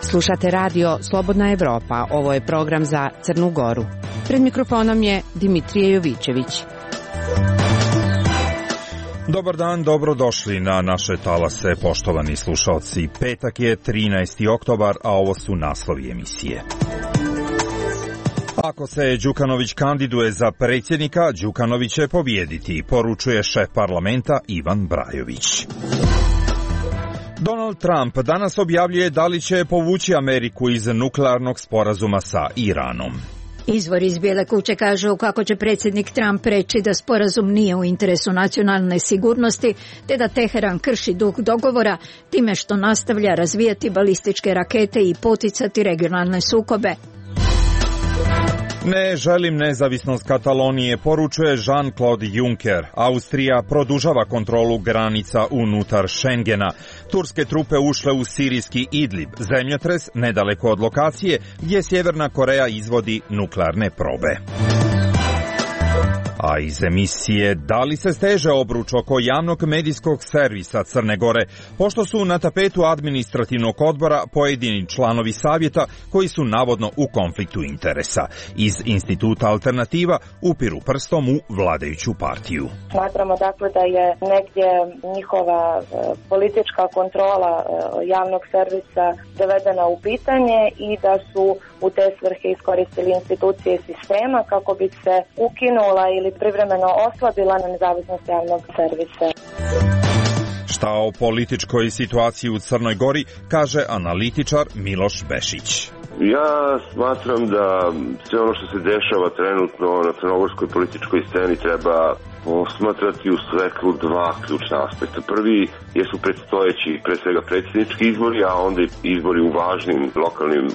Slušate radio Slobodna Evropa. Ovo je program za Crnu Goru. Pred mikrofonom je Dimitrije Jovićević. Dobar dan, dobrodošli na naše talase, poštovani slušalci. Petak je 13. oktobar, a ovo su naslovi emisije. Ako se Đukanović kandiduje za predsjednika, Đukanović će pobijediti, poručuje šef parlamenta Ivan Brajović. Donald Trump danas objavljuje da li će povući Ameriku iz nuklearnog sporazuma sa Iranom. Izvori iz Bijele kuće kažu kako će predsjednik Trump reći da sporazum nije u interesu nacionalne sigurnosti, te da Teheran krši duh dogovora time što nastavlja razvijati balističke rakete i poticati regionalne sukobe. Ne želim nezavisnost Katalonije, poručuje Jean-Claude Juncker. Austrija produžava kontrolu granica unutar Schengena. Turske trupe ušle u sirijski Idlib, zemljotres nedaleko od lokacije gdje Sjeverna Koreja izvodi nuklearne probe. A iz emisije da li se steže obruč oko javnog medijskog servisa Crne Gore, pošto su na tapetu administrativnog odbora pojedini članovi savjeta koji su navodno u konfliktu interesa. Iz Instituta Alternativa upiru prstom u vladajuću partiju. Smatramo dakle da je negdje njihova politička kontrola javnog servisa dovedena u pitanje i da su u te svrhe iskoristili institucije sistema kako bi se ukinula ili privremeno oslabila nezavisnost javnog servisa. Šta o političkoj situaciji u Crnoj Gori kaže analitičar Miloš Bešić. Ja smatram da sve ono što se dešava trenutno na crnogorskoj političkoj sceni treba posmatrati u svetlu dva ključna aspekta. Prvi jesu predstojeći, pre svega predsjednički izbori, a onda i izbori u važnim lokalnim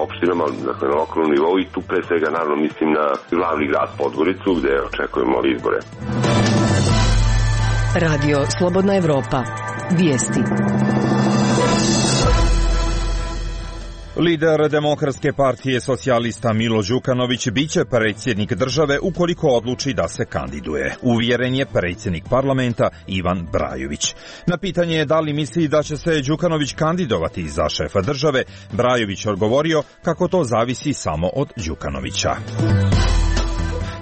opštinama, dakle na lokalnom nivou, i tu pre svega naravno mislim na glavni grad Podgoricu gdje očekujemo izbore. Radio Slobodna Evropa. Vijesti. Lider Demokratske partije socijalista Milo Đukanović biće predsjednik države ukoliko odluči da se kandiduje. Uvjeren je predsjednik parlamenta Ivan Brajović. Na pitanje da li misli da će se Đukanović kandidovati za šefa države, Brajović odgovorio kako to zavisi samo od Đukanovića.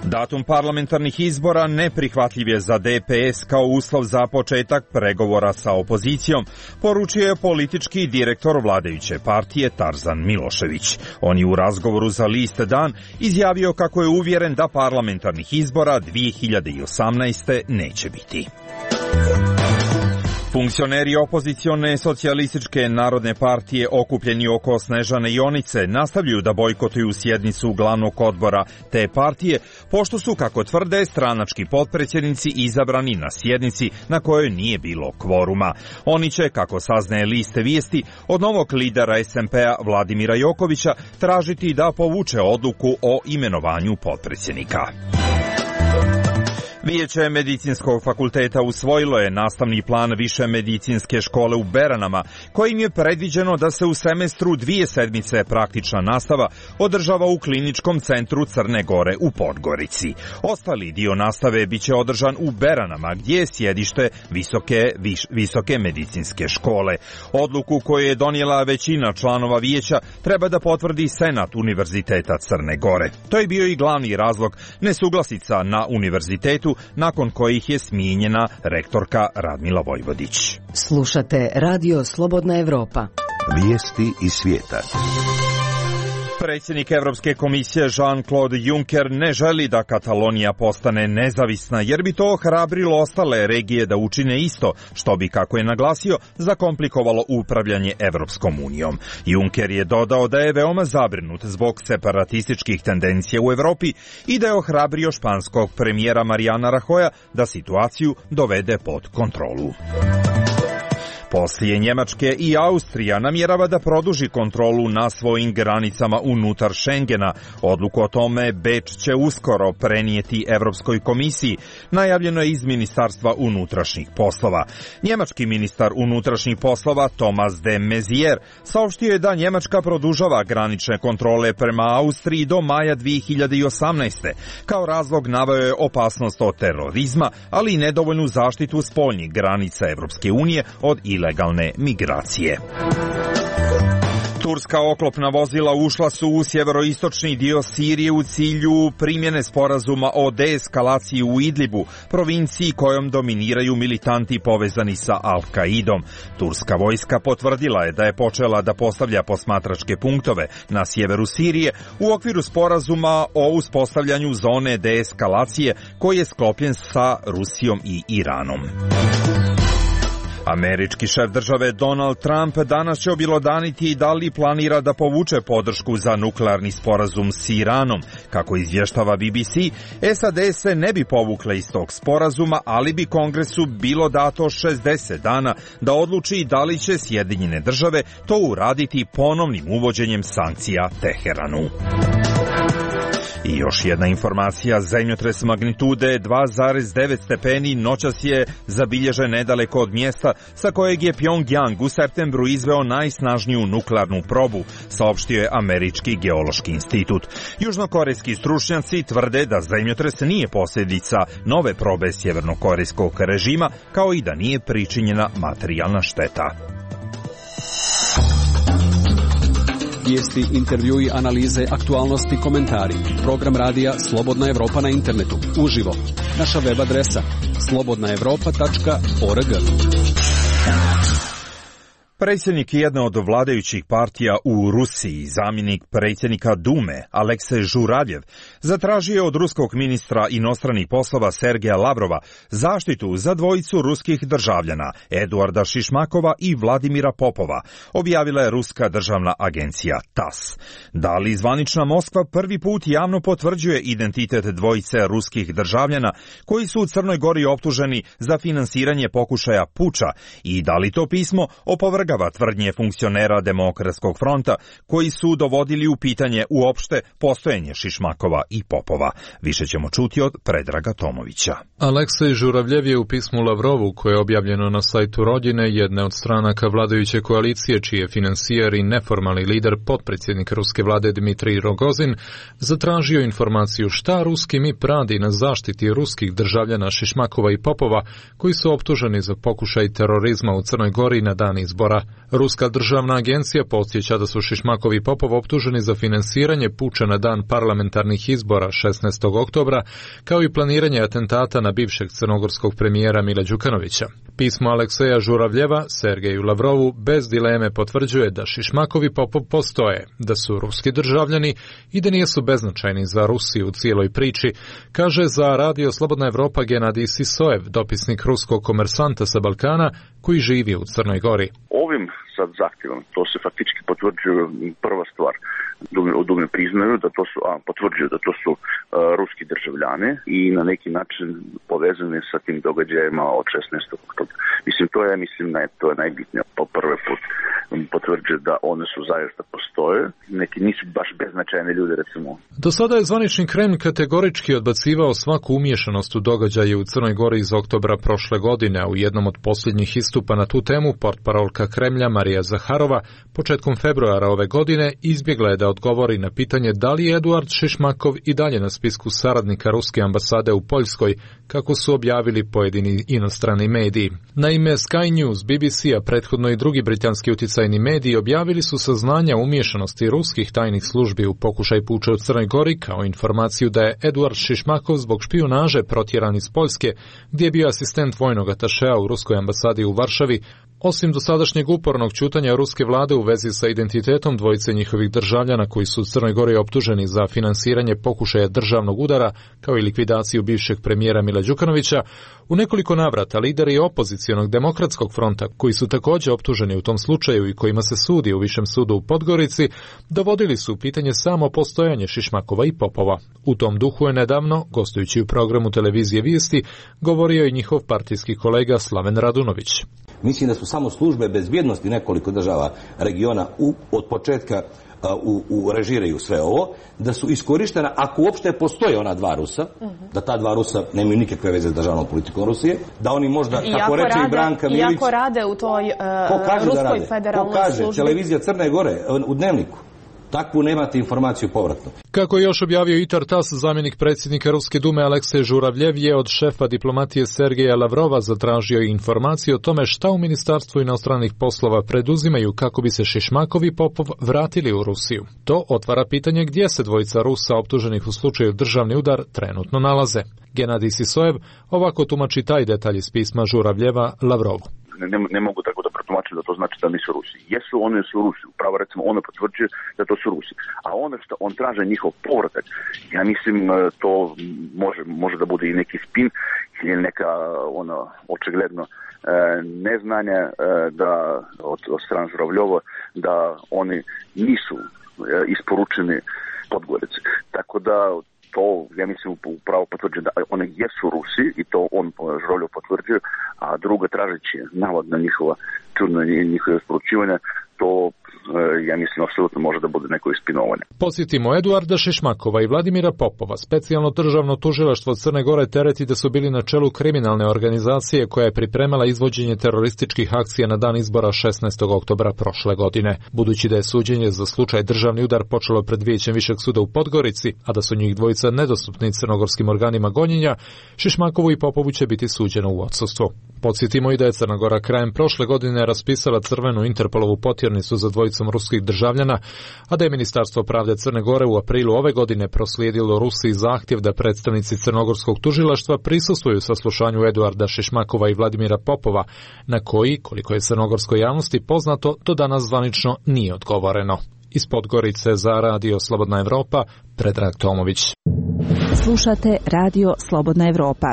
Datum parlamentarnih izbora neprihvatljiv je za DPS kao uslov za početak pregovora sa opozicijom, poručio je politički direktor vladajuće partije Tarzan Milošević. On je u razgovoru za list Dan izjavio kako je uvjeren da parlamentarnih izbora 2018. neće biti. Funkcioneri opozicione socijalističke narodne partije okupljeni oko Snežane Jonice nastavljaju da bojkotuju sjednicu glavnog odbora te partije, pošto su, kako tvrde, stranački potpredsjednici izabrani na sjednici na kojoj nije bilo kvoruma. Oni će, kako saznaje list Vijesti, od novog lidera SMP-a Vladimira Jokovića tražiti da povuče odluku o imenovanju potpredsjednika. Vijeće Medicinskog fakulteta usvojilo je nastavni plan Više medicinske škole u Beranama, kojim je predviđeno da se u semestru 2 sedmice praktična nastava održava u Kliničkom centru Crne Gore u Podgorici. Ostali dio nastave biće održan u Beranama, gdje je sjedište Visoke medicinske škole. Odluku koju je donijela većina članova vijeća treba da potvrdi Senat Univerziteta Crne Gore. To je bio i glavni razlog nesuglasica na univerzitetu, nakon kojih je smijenjena rektorka Radmila Vojvodić. Slušate Radio Slobodna Evropa. Vijesti iz svijeta. Predsjednik Evropske komisije Jean-Claude Juncker ne želi da Katalonija postane nezavisna, jer bi to ohrabrilo ostale regije da učine isto, što bi, kako je naglasio, zakomplikovalo upravljanje Evropskom unijom. Juncker je dodao da je veoma zabrinut zbog separatističkih tendencija u Evropi i da je ohrabrio španskog premijera Mariana Rajoya da situaciju dovede pod kontrolu. Poslije Njemačke i Austrija namjerava da produži kontrolu na svojim granicama unutar Schengena. Odluku o tome Beč će uskoro prenijeti Evropskoj komisiji, najavljeno je iz Ministarstva unutrašnjih poslova. Njemački ministar unutrašnjih poslova Thomas de Maizière saopštio je da Njemačka produžava granične kontrole prema Austriji do maja 2018. Kao razlog naveo je opasnost od terorizma, ali i nedovoljnu zaštitu spoljnih granica Evropske unije od ilegalne migracije. Turska oklopna vozila ušla su u sjeveroistočni dio Sirije u cilju primjene sporazuma o deeskalaciji u Idlibu, provinciji kojom dominiraju militanti povezani sa Al-Kaidom. Turska vojska potvrdila je da je počela da postavlja posmatračke punktove na sjeveru Sirije u okviru sporazuma o uspostavljanju zone deeskalacije koji je sklopljen sa Rusijom i Iranom. Američki šef države Donald Trump danas će objelodaniti da li planira da povuče podršku za nuklearni sporazum s Iranom. Kako izvještava BBC, SAD se ne bi povukle iz tog sporazuma, ali bi Kongresu bilo dato 60 dana da odluči da li će Sjedinjene države to uraditi ponovnim uvođenjem sankcija Teheranu. I još jedna informacija, zemljotres magnitude 2,9 stepeni noćas je zabilježen nedaleko od mjesta sa kojeg je Pjongjang u septembru izveo najsnažniju nuklearnu probu, saopštio je Američki geološki institut. Južnokorejski stručnjaci tvrde da zemljotres nije posljedica nove probe sjevernokorejskog režima, kao i da nije pričinjena materijalna šteta. Vijesti, intervjui, analize, aktualnosti, komentari. Program radija Slobodna Evropa na internetu. Uživo. Naša web adresa slobodnaevropa.org. Predsjednik jedne od vladajućih partija u Rusiji, zamjenik predsjednika Dume, Aleksej Žuravljev, zatražio je od ruskog ministra inostranih poslova Sergeja Lavrova zaštitu za dvojicu ruskih državljana, Eduarda Šišmakova i Vladimira Popova, objavila je ruska državna agencija TASS. Da li zvanična Moskva prvi put javno potvrđuje identitet dvojice ruskih državljana koji su u Crnoj Gori optuženi za finansiranje pokušaja puča i da li to pismo opovrgava tvrdnje funkcionera Demokratskog fronta koji su dovodili u pitanje uopšte postojanje Šišmakova i Popova. Više ćemo čuti od Predraga Tomovića. Aleksej Žuravljev je u pismu Lavrovu, koje je objavljeno na sajtu Rodine, jedne od stranaka vladajuće koalicije, čiji je financijer i neformalni lider potpredsjednik ruske vlade Dmitrij Rogozin, zatražio informaciju šta ruski MIP radi na zaštiti ruskih državljana Šišmakova i Popova, koji su optuženi za pokušaj terorizma u Crnoj Gori na dan izbora. Ruska državna agencija podsjeća da su Šišmakov i Popov optuženi za finansiranje puča na dan parlamentarnih izbora 16. oktobra, kao i planiranje atentata na bivšeg crnogorskog premijera Mila Đukanovića. Pismo Alekseja Žuravljeva Sergeju Lavrovu bez dileme potvrđuje da Šišmakov i Popov postoje, da su ruski državljani i da nisu beznačajni za Rusiju u cijeloj priči, kaže za Radio Slobodna Evropa Genadij Sisojev, dopisnik ruskog komersanta sa Balkana koji živi u Crnoj Gori. Ovim sad zahtjevom, to se faktički potvrđuje prva stvar. Dume priznaju da to su, potvrđuju da to su ruski državljani i na neki način povezani sa tim događajima od 16. oktobra. To je najbitnije. Po prvi put potvrđuje da one su zaista postoje. Neki nisu baš beznačajne ljudi, recimo. Do sada je zvanični Kreml kategorički odbacivao svaku umiješanost u događaje u Crnoj Gori iz oktobra prošle godine, a u jednom od posljednjih istupa na tu temu portparolka Kremlja Marija Zaharova početkom februara ove godine izbjegla je da odgovori na pitanje da li je Eduard Šišmakov i dalje na spisku saradnika ruske ambasade u Poljskoj, kako su objavili pojedini inostrani mediji. Naime, Sky News, BBC, a prethodno i drugi britanski utjecajni mediji objavili su saznanja umiješanosti ruskih tajnih službi u pokušaj puča u Crnoj Gori, kao informaciju da je Eduard Šišmakov zbog špijunaže protjeran iz Poljske, gdje je bio asistent vojnog atašea u ruskoj ambasadi u Varšavi, osim dosadašnjeg upornog ćutanja ruske vlade u vezi sa identitetom dvojice njihovih državljana koji koji su u Crnoj Gori optuženi za finansiranje pokušaja državnog udara, kao i likvidaciju bivšeg premijera Mila Đukanovića, u nekoliko navrata lideri opozicionog demokratskog fronta, koji su također optuženi u tom slučaju i kojima se sudi u Višem sudu u Podgorici, dovodili su u pitanje samo postojanje Šišmakova i Popova. U tom duhu je nedavno, gostujući u programu televizije Vijesti, govorio i njihov partijski kolega Slaven Radunović. Mislim da su samo službe bezbjednosti nekoliko država regiona od početka režiraju sve ovo, da su iskorištena, ako uopšte postoje ona dva Rusa, da ta dva Rusa nemaju nikakve veze s državnom politikom Rusije, da oni možda, kako reče i Branka Milić... Iako rade u toj Ruskoj federalnoj službi... Ko kaže, televizija Crne Gore u Dnevniku. Takvu nemate informaciju povratno. Kako je još objavio Itar Tas, zamjenik predsjednika Ruske dume Aleksej Žuravljev je od šefa diplomatije Sergeja Lavrova zatražio informaciju o tome šta u Ministarstvu inostranih poslova preduzimaju kako bi se Šišmakov i Popov vratili u Rusiju. To otvara pitanje gdje se dvojica Rusa optuženih u slučaju državni udar trenutno nalaze. Genadij Sisojev ovako tumači taj detalj iz pisma Žuravljeva Lavrovu. Ne mogu tako da protumačim da to znači da nisu Rusi. Jesu, oni su Rusi. Upravo recimo ono potvrđuje da to su Rusi. A ono što on traže njihov povratak, ja mislim to može da bude i neki spin ili neka očigledno neznanje da od strane Žuravljova da oni nisu isporučeni Podgorici. Tako da to, ja mislim, upravo potvrđuje da one jesu Rusi i to on Žuravljev potvrđuje, a drugo tražeći navod na njihova čudno njihove isporučivanja, to ja mislim apsolutno može da bude neko ispinovanje. Podsjetimo, Eduarda Šišmakova i Vladimira Popova specijalno državno tužilaštvo Crne Gore tereti da su bili na čelu kriminalne organizacije koja je pripremala izvođenje terorističkih akcija na dan izbora 16. oktobra prošle godine. Budući da je suđenje za slučaj državni udar počelo pred Vijećem Višeg suda u Podgorici, a da su njih dvojica nedostupni crnogorskim organima gonjenja, Šišmakovu i Popovu će biti suđeno u odsustvu. Podsjetimo i da je Crna Gora krajem prošle godine raspisala crvenu Interpolovu potjernicu za dvojicom ruskih državljana, a da je Ministarstvo pravde Crne Gore u aprilu ove godine proslijedilo Rusiji zahtjev da predstavnici crnogorskog tužilaštva prisustvuju saslušanju Eduarda Šišmakova i Vladimira Popova, na koji, koliko je crnogorskoj javnosti poznato, do danas zvanično nije odgovoreno. Iz Podgorice za Radio Slobodna Evropa, Predrag Tomović. Slušate Radio Slobodna Evropa.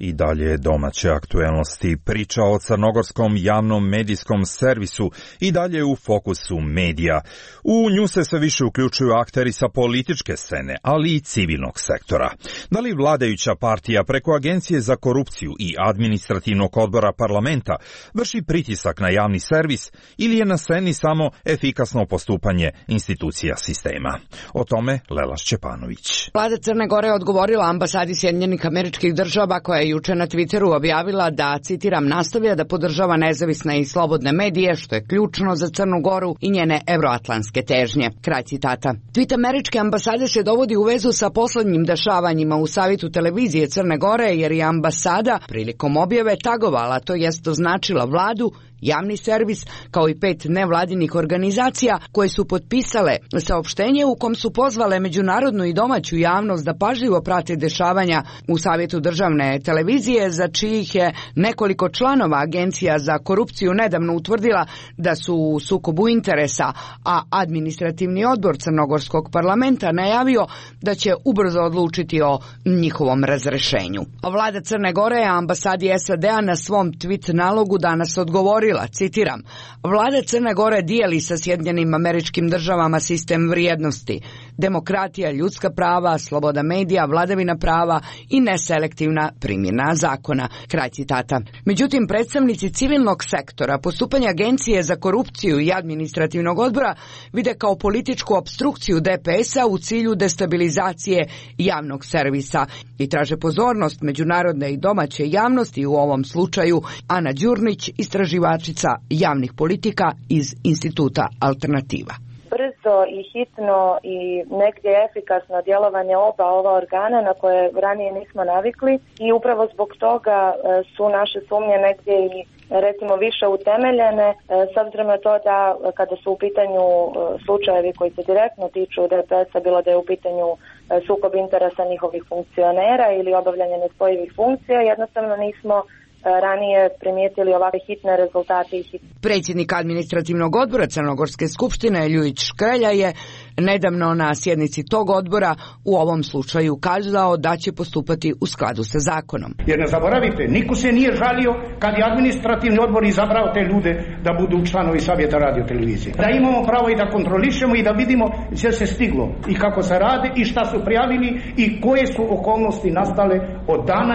I dalje domaće aktuelnosti. Priča o crnogorskom javnom medijskom servisu i dalje u fokusu medija. U nju se sve više uključuju akteri sa političke scene, ali i civilnog sektora. Da li vladajuća partija preko Agencije za korupciju i administrativnog odbora parlamenta vrši pritisak na javni servis ili je na sceni samo efikasno postupanje institucija sistema? O tome Lela Šćepanović. Vlada Crne Gore odgovorila ambasadi Sjedinjenih Američkih Država koja je juče na Twitteru objavila da, citiram, nastavlja da podržava nezavisne i slobodne medije, što je ključno za Crnu Goru i njene evroatlantske težnje. Kraj citata. Tweet američke ambasade se dovodi u vezu sa poslednjim dešavanjima u savjetu televizije Crne Gore, jer je ambasada prilikom objave tagovala, to jest označila vladu, javni servis, kao i 5 nevladinih organizacija koje su potpisale saopštenje u kom su pozvale međunarodnu i domaću javnost da pažljivo prate dešavanja u savjetu državne televizije, za čijih je nekoliko članova Agencija za korupciju nedavno utvrdila da su u sukobu interesa, a administrativni odbor Crnogorskog parlamenta najavio da će ubrzo odlučiti o njihovom razrešenju. Vlada Crne Gore ambasadi SAD-a na svom tweet nalogu danas odgovorila, citiram, Vlada Crne Gore dijeli sa Sjedinjenim Američkim Državama sistem vrijednosti, demokratija, ljudska prava, sloboda medija, vladavina prava i neselektivna primjena zakona. Kraj citata. Međutim, predstavnici civilnog sektora postupanje Agencije za korupciju i administrativnog odbora vide kao političku opstrukciju DPS-a u cilju destabilizacije javnog servisa i traže pozornost međunarodne i domaće javnosti, u ovom slučaju Ana Đurnić, istraživačica javnih politika iz Instituta Alternativa. Brzo i hitno i negdje efikasno djelovanje oba ova organa na koje ranije nismo navikli i upravo zbog toga su naše sumnje negdje i recimo više utemeljene, s obzirom na to da kada su u pitanju slučajevi koji se direktno tiču DPS-a, bilo da je u pitanju sukob interesa njihovih funkcionera ili obavljanje nespojivih funkcija, jednostavno nismo ranije primijetili ovakve hitne rezultate. Predsjednik administrativnog odbora Crnogorske skupštine Ljujić Škrelja je nedavno na sjednici tog odbora u ovom slučaju kazao da će postupati u skladu sa zakonom. Jer ne zaboravite, niko se nije žalio kad je administrativni odbor izabrao te ljude da budu članovi savjeta radiotelevizije. Da imamo pravo i da kontrolišemo i da vidimo gdje se stiglo i kako se rade i šta su prijavili i koje su okolnosti nastale od dana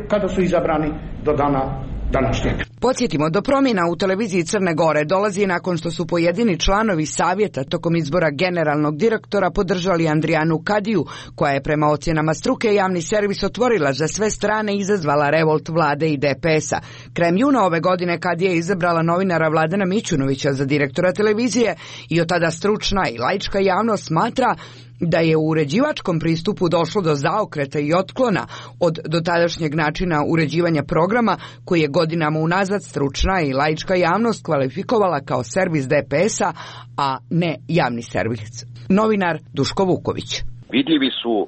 kada su izabrani do dana današnjeg. Podsjetimo, do promjena u televiziji Crne Gore dolazi nakon što su pojedini članovi savjeta tokom izbora generalnog direktora podržali Andrijanu Kadiju, koja je prema ocjenama struke javni servis otvorila za sve strane i izazvala revolt vlade i DPS-a. Krajem juna ove godine Kadija je izabrala novinara Vladana Mićunovića za direktora televizije i od tada stručna i laička javnost smatra da je u uređivačkom pristupu došlo do zaokreta i otklona od dotadašnjeg načina uređivanja programa koji je godinama unazad stručna i laička javnost kvalifikovala kao servis DPS-a, a ne javni servis. Novinar Duško Vuković. Vidljivi su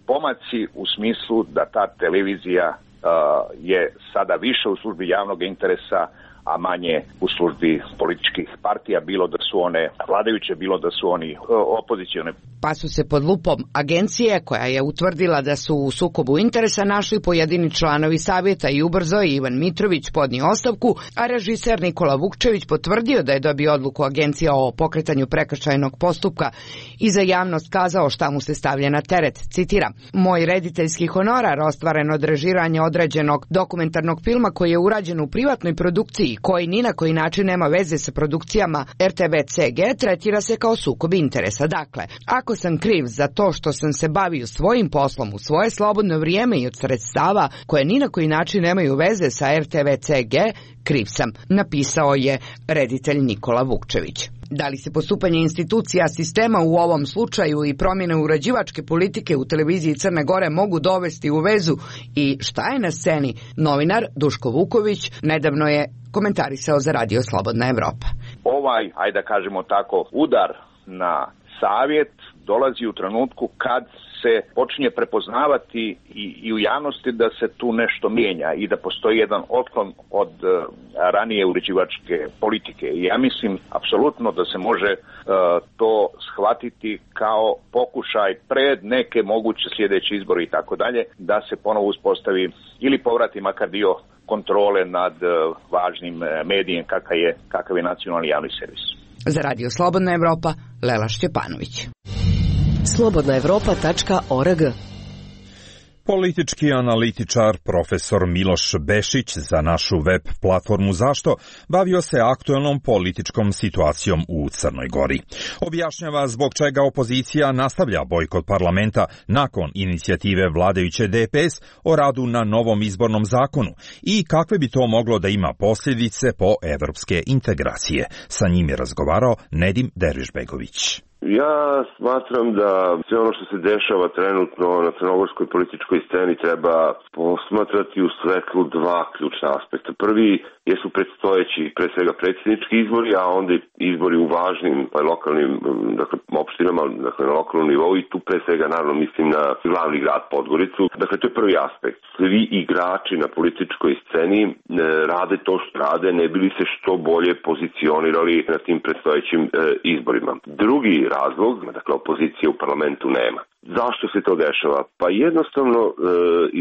pomaci u smislu da ta televizija je sada više u službi javnog interesa, a manje u službi političkih partija, bilo da su one vladajuće, bilo da su oni opozicione. Pa su se pod lupom agencije, koja je utvrdila da su u sukobu interesa, našli pojedini članovi savjeta i ubrzo je Ivan Mitrović podnio ostavku, a režiser Nikola Vukčević potvrdio da je dobio odluku agencije o pokretanju prekršajnog postupka i za javnost kazao šta mu se stavlja na teret. Citiram: "Moj rediteljski honorar ostvaren od režiranja određenog dokumentarnog filma koji je urađen u privatnoj produkciji koji ni na koji način nema veze sa produkcijama RTV-CG tretira se kao sukob interesa. Dakle, ako sam kriv za to što sam se bavio svojim poslom u svoje slobodno vrijeme i od sredstava koje ni na koji način nemaju veze sa RTV-CG, kriv sam", napisao je reditelj Nikola Vukčević. Da li se postupanje institucija sistema u ovom slučaju i promjene uređivačke politike u televiziji Crne Gore mogu dovesti u vezu i šta je na sceni, novinar Duško Vuković nedavno je komentarisao za Radio Slobodna Evropa. Ajde da kažemo tako, udar na savjet dolazi u trenutku kad se počinje prepoznavati i u javnosti da se tu nešto mijenja i da postoji jedan otklon od ranije uređivačke politike. I ja mislim apsolutno da se može to shvatiti kao pokušaj pred neke moguće sljedeće izbore i tako dalje, da se ponovo uspostavi ili povrati makar dio kontrole nad važnim medijem kakav je nacionalni javni servis. Za Radio Slobodna Evropa, Lela Šćepanović. slobodnaevropa.org. Politički analitičar profesor Miloš Bešić za našu web platformu Zašto bavio se aktuelnom političkom situacijom u Crnoj Gori. Objašnjava zbog čega opozicija nastavlja bojkot parlamenta nakon inicijative vladajuće DPS o radu na novom izbornom zakonu i kakve bi to moglo da ima posljedice po evropske integracije. Sa njim je razgovarao Nedim Dervišbegović. Ja smatram da sve ono što se dešava trenutno na crnogorskoj političkoj sceni treba posmatrati u svetlu dva ključna aspekta. Prvi jesu predstojeći pre svega predsjednički izbori, a onda izbori u važnim lokalnim opštinama, na lokalnom nivou, i tu pre svega naravno mislim na glavni grad Podgoricu. Dakle, to je prvi aspekt. Svi igrači na političkoj sceni rade to što rade, ne bili se što bolje pozicionirali na tim predstojećim izborima. Drugi razlog, dakle opozicije u parlamentu nema. Zašto se to dešava? Pa jednostavno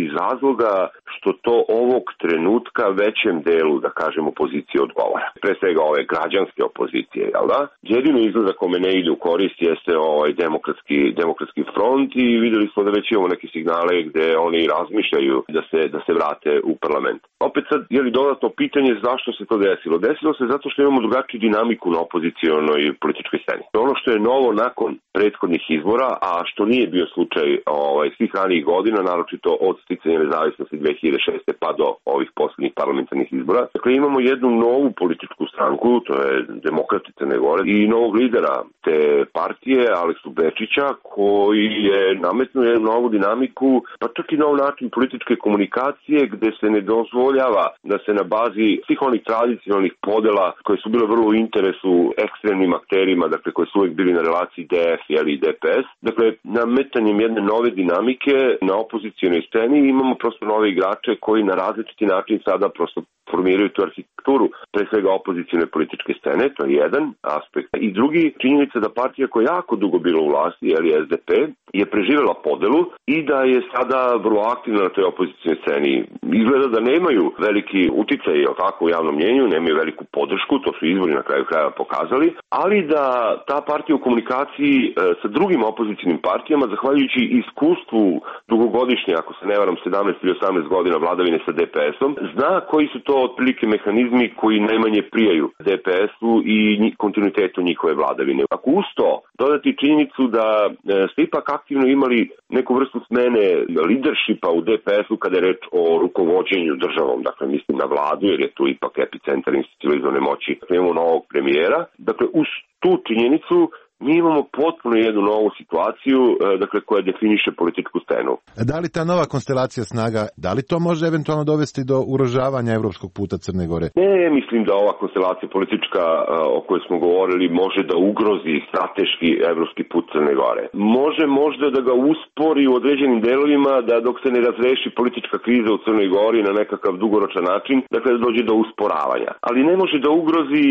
iz razloga što to ovog trenutka većem delu, da kažem, opozicije odgovara. Pre svega ove građanske opozicije, jel da? Jedino izgleda kome ne ide u korist jeste demokratski front i vidjeli smo da već imamo neke signale gde oni razmišljaju da se vrate u parlament. Opet sad, dodatno pitanje zašto se to desilo? Desilo se zato što imamo drugačiju dinamiku na opozicijonoj političkoj sceni. Ono što je novo nakon prethodnih izbora, a što nije bio slučaj svih ranijih godina, naročito od sticanja nezavisnosti 2006. pa do ovih poslednjih parlamentarnih izbora. Dakle, imamo jednu novu političku stranku, to je Demokrati Crne Gore, i novog lidera te partije, Aleksu Bečića, koji je nametnuo jednu novu dinamiku, pa čak i nov način političke komunikacije, gde se ne dozvoljava da se na bazi svih onih tradicionalnih podela koje su bile vrlo u interesu ekstremnim akterima, dakle koji su uvijek bili na relaciji DF i DPS. Dakle, nametanjem jedne nove dinamike na opozicijonoj sceni imamo prosto nove igrače koji na različiti način sada prosto formiraju tu arhitekturu, pre svega opozicione političke scene, to je jedan aspekt. I drugi, činjenica da partija koja jako dugo bila u vlasti, SDP, je preživela podelu i da je sada vrlo aktivna na toj opozicijonoj sceni. Izgleda da nemaju veliki uticaj, tako, u javnom mnjenju, nemaju veliku podršku, to su izbori na kraju krajeva pokazali, ali da ta partija u komunikaciji sa drugim opozicijonim partijama, zahvaljujući iskustvu dugogodišnje, ako se ne varam, 17 ili 18 godina vladavine sa DPS-om, zna koji su to otprilike mehanizmi koji najmanje prijaju DPS-u i kontinuitetu njihove vladavine. Ako uz to dodati činjenicu da ste ipak aktivno imali neku vrstu smene leadershipa u DPS-u kada je reč o rukovođenju državom, dakle mislim na vladu jer je tu ipak epicentar institucionalizovane moći. Imamo novog premijera, dakle uz tu činjenicu mi imamo potpuno jednu novu situaciju, dakle, koja definiše političku scenu. Da li ta nova konstelacija snaga, da li to može eventualno dovesti do ugrožavanja evropskog puta Crne Gore? Ne, mislim da ova konstelacija politička o kojoj smo govorili može da ugrozi strateški evropski put Crne Gore. Može možda da ga uspori u određenim delovima, da dok se ne razreši politička kriza u Crnoj Gori na nekakav dugoročan način, dakle da dođe do usporavanja. Ali ne može da ugrozi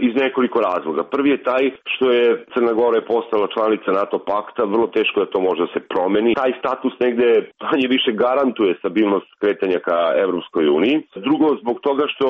iz nekoliko razloga. Prvi je taj što je Crna Gora je postala članica NATO pakta, vrlo teško da to može da se promeni. Taj status negde manje više garantuje stabilnost kretanja ka Evropskoj uniji. Drugo, zbog toga što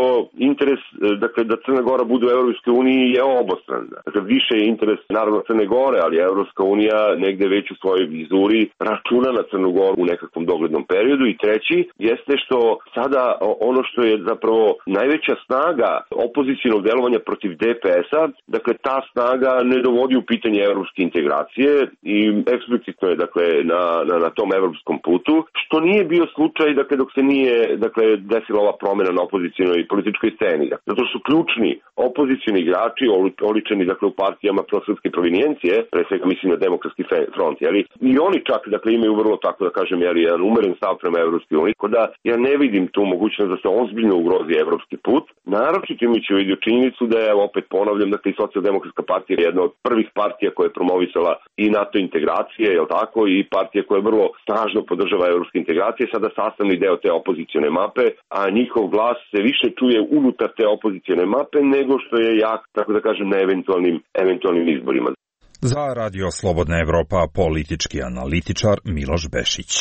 interes, dakle, da Crna Gora bude u Evropskoj uniji je obostran. Dakle, više je interes naravno Crne Gore, ali Evropska unija negde već u svojoj vizuri računa na Crnu Goru u nekakvom doglednom periodu. I treći jeste što sada ono što je zapravo najveća snaga opozicionog delovanja protiv DPS-a, dakle, ta snaga ne dovodi u pitanje evropske integracije i eksplicitno je dakle na tom evropskom putu, što nije bio slučaj dakle dok se nije desila ova promjena na opozicionoj političkoj sceni. Zato što su ključni opozicioni igrači oličeni dakle u partijama prosrpske provenijencije, pre svega mislim na Demokratski front, i oni čak dakle imaju vrlo tako da kažem jedan umeren stav prema Evropskoj uniji, tako da ja ne vidim tu mogućnost da se ozbiljno ugrozi evropski put, naročito imajući u vidu činjenicu da je, opet ponavljam, dakle i Socijaldemokratska partija je jedna od prvih partija koja je promovisala i NATO integracije, tako, i partija koja vrlo snažno podržava evropske integracije, sada sastavni deo te opozicione mape, a njihov glas se više čuje unutar te opozicione mape nego što je jak, tako da kažem, na eventualnim izborima. Za Radio Slobodna Evropa politički analitičar Miloš Bešić.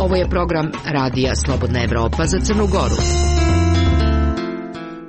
Ovo je program Radija Slobodna Evropa za Crnu Goru.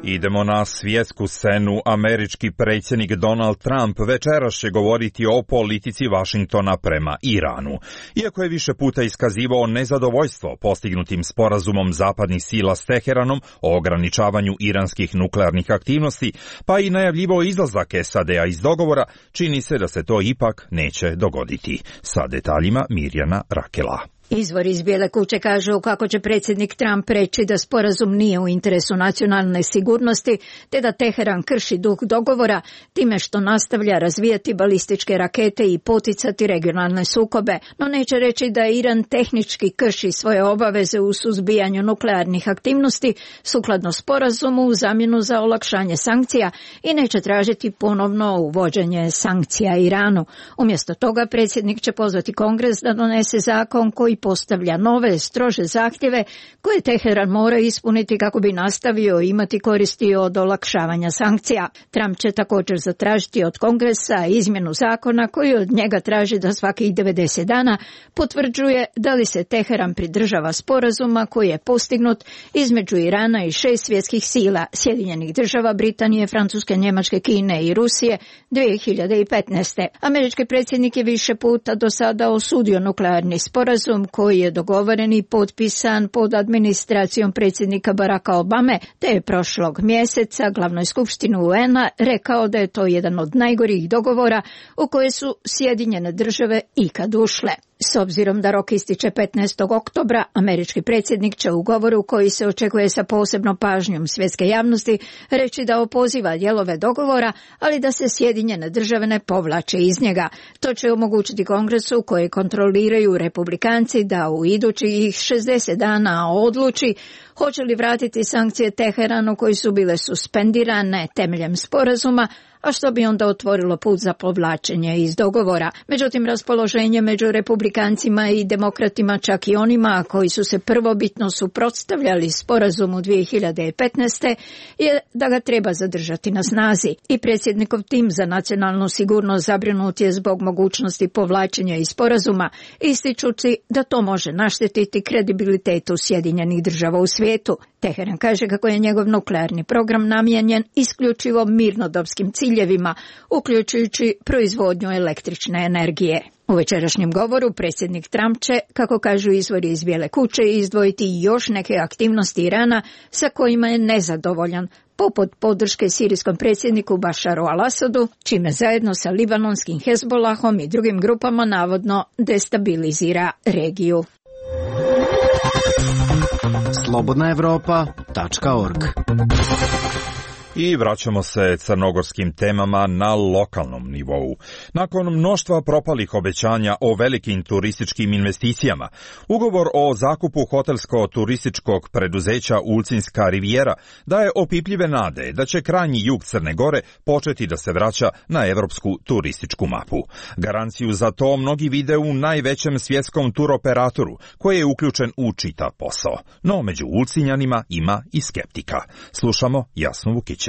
Idemo na svjetsku scenu. Američki predsjednik Donald Trump večeras će govoriti o politici Vašingtona prema Iranu. Iako je više puta iskazivao nezadovoljstvo postignutim sporazumom zapadnih sila s Teheranom o ograničavanju iranskih nuklearnih aktivnosti, pa i najavljivao izlazak SAD-a iz dogovora, čini se da se to ipak neće dogoditi. Sa detaljima Mirjana Rakela. Izvor iz Bijele kuće kažu kako će predsjednik Trump reći da sporazum nije u interesu nacionalne sigurnosti, te da Teheran krši duh dogovora time što nastavlja razvijati balističke rakete i poticati regionalne sukobe, no neće reći da Iran tehnički krši svoje obaveze u suzbijanju nuklearnih aktivnosti sukladno sporazumu u zamjenu za olakšanje sankcija i neće tražiti ponovno uvođenje sankcija Iranu. Umjesto toga predsjednik će pozvati Kongres da donese zakon koji postavlja nove, strože zahtjeve koje Teheran mora ispuniti kako bi nastavio imati koristi od olakšavanja sankcija. Trump će također zatražiti od Kongresa izmjenu zakona koji od njega traži da svakih 90 dana potvrđuje da li se Teheran pridržava sporazuma koji je postignut između Irana i 6 svjetskih sila, Sjedinjenih država, Britanije, Francuske, Njemačke, Kine i Rusije 2015. Američki predsjednik je više puta do sada osudio nuklearni sporazum koji je dogovoren i potpisan pod administracijom predsjednika Baracka Obame, te je prošlog mjeseca glavnoj skupštini UN-a rekao da je to jedan od najgorih dogovora u koje su Sjedinjene države ikad ušle. S obzirom da rok ističe 15. oktobra, američki predsjednik će u govoru koji se očekuje sa posebnom pažnjom svjetske javnosti reći da opoziva dijelove dogovora, ali da se Sjedinjene države ne povlače iz njega. To će omogućiti Kongresu koji kontroliraju Republikanci da u idućih 60 dana odluči hoće li vratiti sankcije Teheranu koji su bile suspendirane temeljem sporazuma, a što bi onda otvorilo put za povlačenje iz dogovora. Međutim, raspoloženje među republikancima i demokratima, čak i onima koji su se prvobitno suprotstavljali sporazumu 2015. je da ga treba zadržati na snazi. I predsjednikov tim za nacionalnu sigurnost zabrinut je zbog mogućnosti povlačenja iz sporazuma, ističući da to može naštetiti kredibilitetu Sjedinjenih država u svijetu. Teheran kaže kako je njegov nuklearni program namijenjen isključivo mirnodopskim ciljevima, uključujući proizvodnju električne energije. U večerašnjem govoru predsjednik Trump će, kako kažu izvori iz Bijele kuće, izdvojiti još neke aktivnosti Irana sa kojima je nezadovoljan, poput podrške sirijskom predsjedniku Bašaru al-Asadu, čime zajedno sa libanonskim Hezbolahom i drugim grupama navodno destabilizira regiju. slobodnaevropa.org. I vraćamo se crnogorskim temama na lokalnom nivou. Nakon mnoštva propalih obećanja o velikim turističkim investicijama, ugovor o zakupu hotelsko-turističkog preduzeća Ulcinska rivijera daje opipljive nade da će krajnji jug Crne Gore početi da se vraća na evropsku turističku mapu. Garanciju za to mnogi vide u najvećem svjetskom turoperatoru, koji je uključen u čitav posao. No među Ulcinjanima ima i skeptika. Slušamo Jasnu Vukić.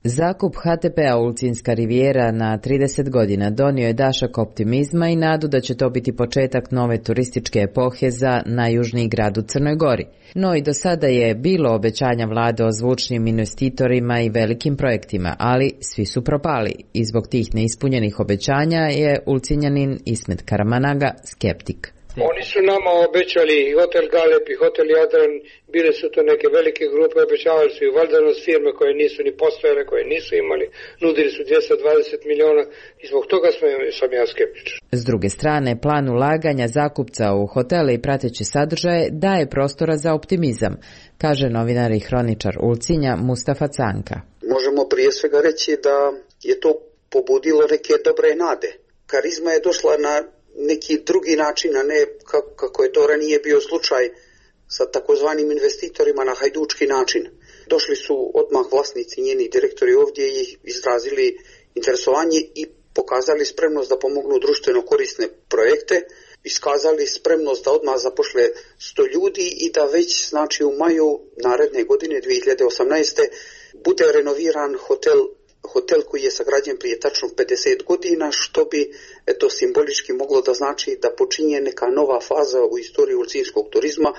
Zakup HTP-a Ulcinska rivijera na 30 godina donio je dašak optimizma i nadu da će to biti početak nove turističke epohe za najjužniji grad u Crnoj Gori. No i do sada je bilo obećanja vlade o zvučnim investitorima i velikim projektima, ali svi su propali i zbog tih neispunjenih obećanja je Ulcinjanin Ismet Karamanaga skeptik. Oni su nama obećali i hotel Galeb i hotel Jadran, bile su to neke velike grupe, obećavali su i valdanost firme koje nisu ni postojale, koje nisu imali, nudili su 220 miliona i zbog toga sam ja skeptičan. S druge strane, plan ulaganja zakupca u hotele i prateće sadržaje daje prostora za optimizam, kaže novinar i hroničar Ulcinja Mustafa Canka. Možemo prije svega reći da je to pobudilo neke dobre nade. Karizma je došla na neki drugi način, a ne kako je to ranije bio slučaj sa takozvanim investitorima na hajdučki način. Došli su odmah vlasnici, njeni direktori ovdje i izrazili interesovanje i pokazali spremnost da pomognu društveno korisne projekte, iskazali spremnost da odmah zapošle 100 ljudi i da već znači u maju naredne godine 2018. bude renoviran hotel koji je sagrađen prije tačno 50 godina, što bi simbolički moglo da znači da počinje neka nova faza u istoriji ulcinskog turizma,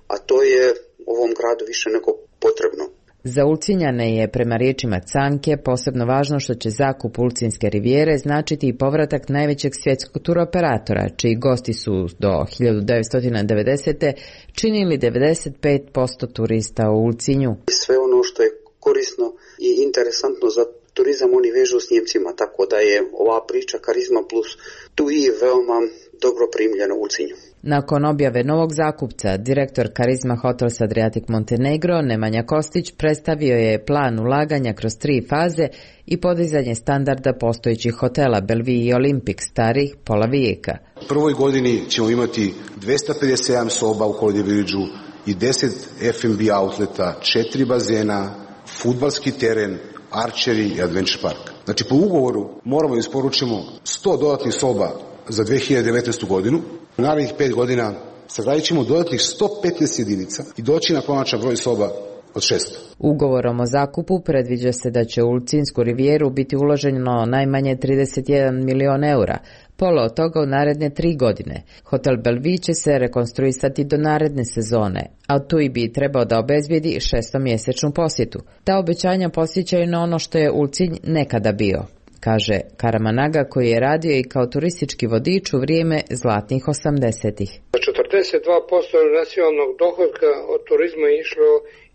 a to je ovom gradu više nego potrebno. Za Ulcinjane je, prema riječima Canke, posebno važno što će zakup Ulcinske rivijere značiti i povratak najvećeg svjetskog turoperatora, čiji gosti su do 1990. činili 95% turista u Ulcinju. Sve ono što je korisno i interesantno za turizam oni vežu s Njemcima, tako da je ova priča Karizma plus tu i veoma dobro primljena u Ulcinju. Nakon objave novog zakupca, direktor Karizma Hotels Adriatic Montenegro Nemanja Kostić predstavio je plan ulaganja kroz 3 faze i podizanje standarda postojećih hotela Bellevue i Olympic starih pola vijeka. U prvoj godini ćemo imati 257 soba u Holiday Villageu i 10 F&B outleta, 4 bazena, fudbalski teren, archery i adventure park. Znači po ugovoru moramo da isporučimo 100 dodatnih soba za 2019. godinu. U narednih 5 godina sagradit ćemo dodatnih 115 jedinica i doći na konačan broj soba od 600. Ugovorom o zakupu predviđa se da će u Ulcinsku rivijeru biti uloženo najmanje 31 milion eura, pola od toga u naredne 3 godine. Hotel Bellevue će se rekonstruisati do naredne sezone, a tu i bi trebao da obezbijedi 6-mjesečnu posjetu. Ta obećanja posjećaju na ono što je Ulcinj nekada bio, kaže Karamanaga, koji je radio i kao turistički vodič u vrijeme zlatnih 80-ih. 42% nacionalnog dohotka od turizma je išlo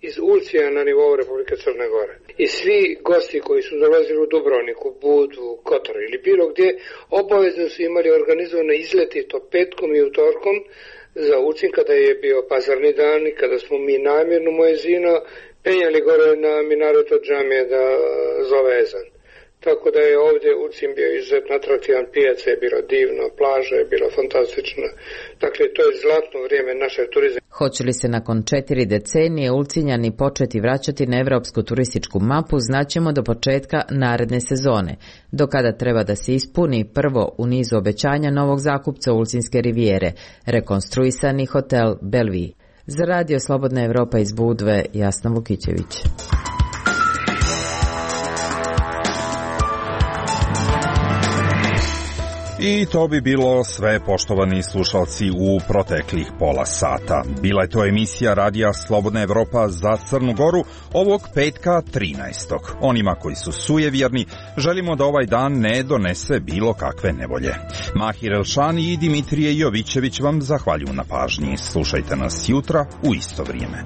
iz Ulcija na nivou Republike Crne Gore. I svi gosti koji su dolazili u Dubrovniku, Budu, Kotor ili bilo gdje, obavezno su imali organizovane izleti to petkom i utorkom za Ulcin kada je bio pazarni dan i kada smo mi namjerno Muezino penjali gore na minaretu džamije da zove ezan. Tako da je ovdje Ulcin bio izuzetno atraktivan, pijaca je bilo divno, plaža je bila fantastična. Dakle, to je zlatno vrijeme našeg turizma. Hoće li se nakon 4 decenije Ulcinjani početi vraćati na evropsku turističku mapu, znaćemo do početka naredne sezone, do kada treba da se ispuni prvo u nizu obećanja novog zakupca Ulcinske rivijere, rekonstruisani hotel Bellevue. Za Radio Slobodna Evropa iz Budve, Jasna Vukićević. I to bi bilo sve, poštovani slušalci, u proteklih pola sata. Bila je to emisija Radija Slobodna Evropa za Crnu Goru ovog petka 13. Onima koji su sujevjerni želimo da ovaj dan ne donese bilo kakve nevolje. Mahir Elšani i Dimitrije Jovićević vam zahvaljuju na pažnji. Slušajte nas jutra u isto vrijeme.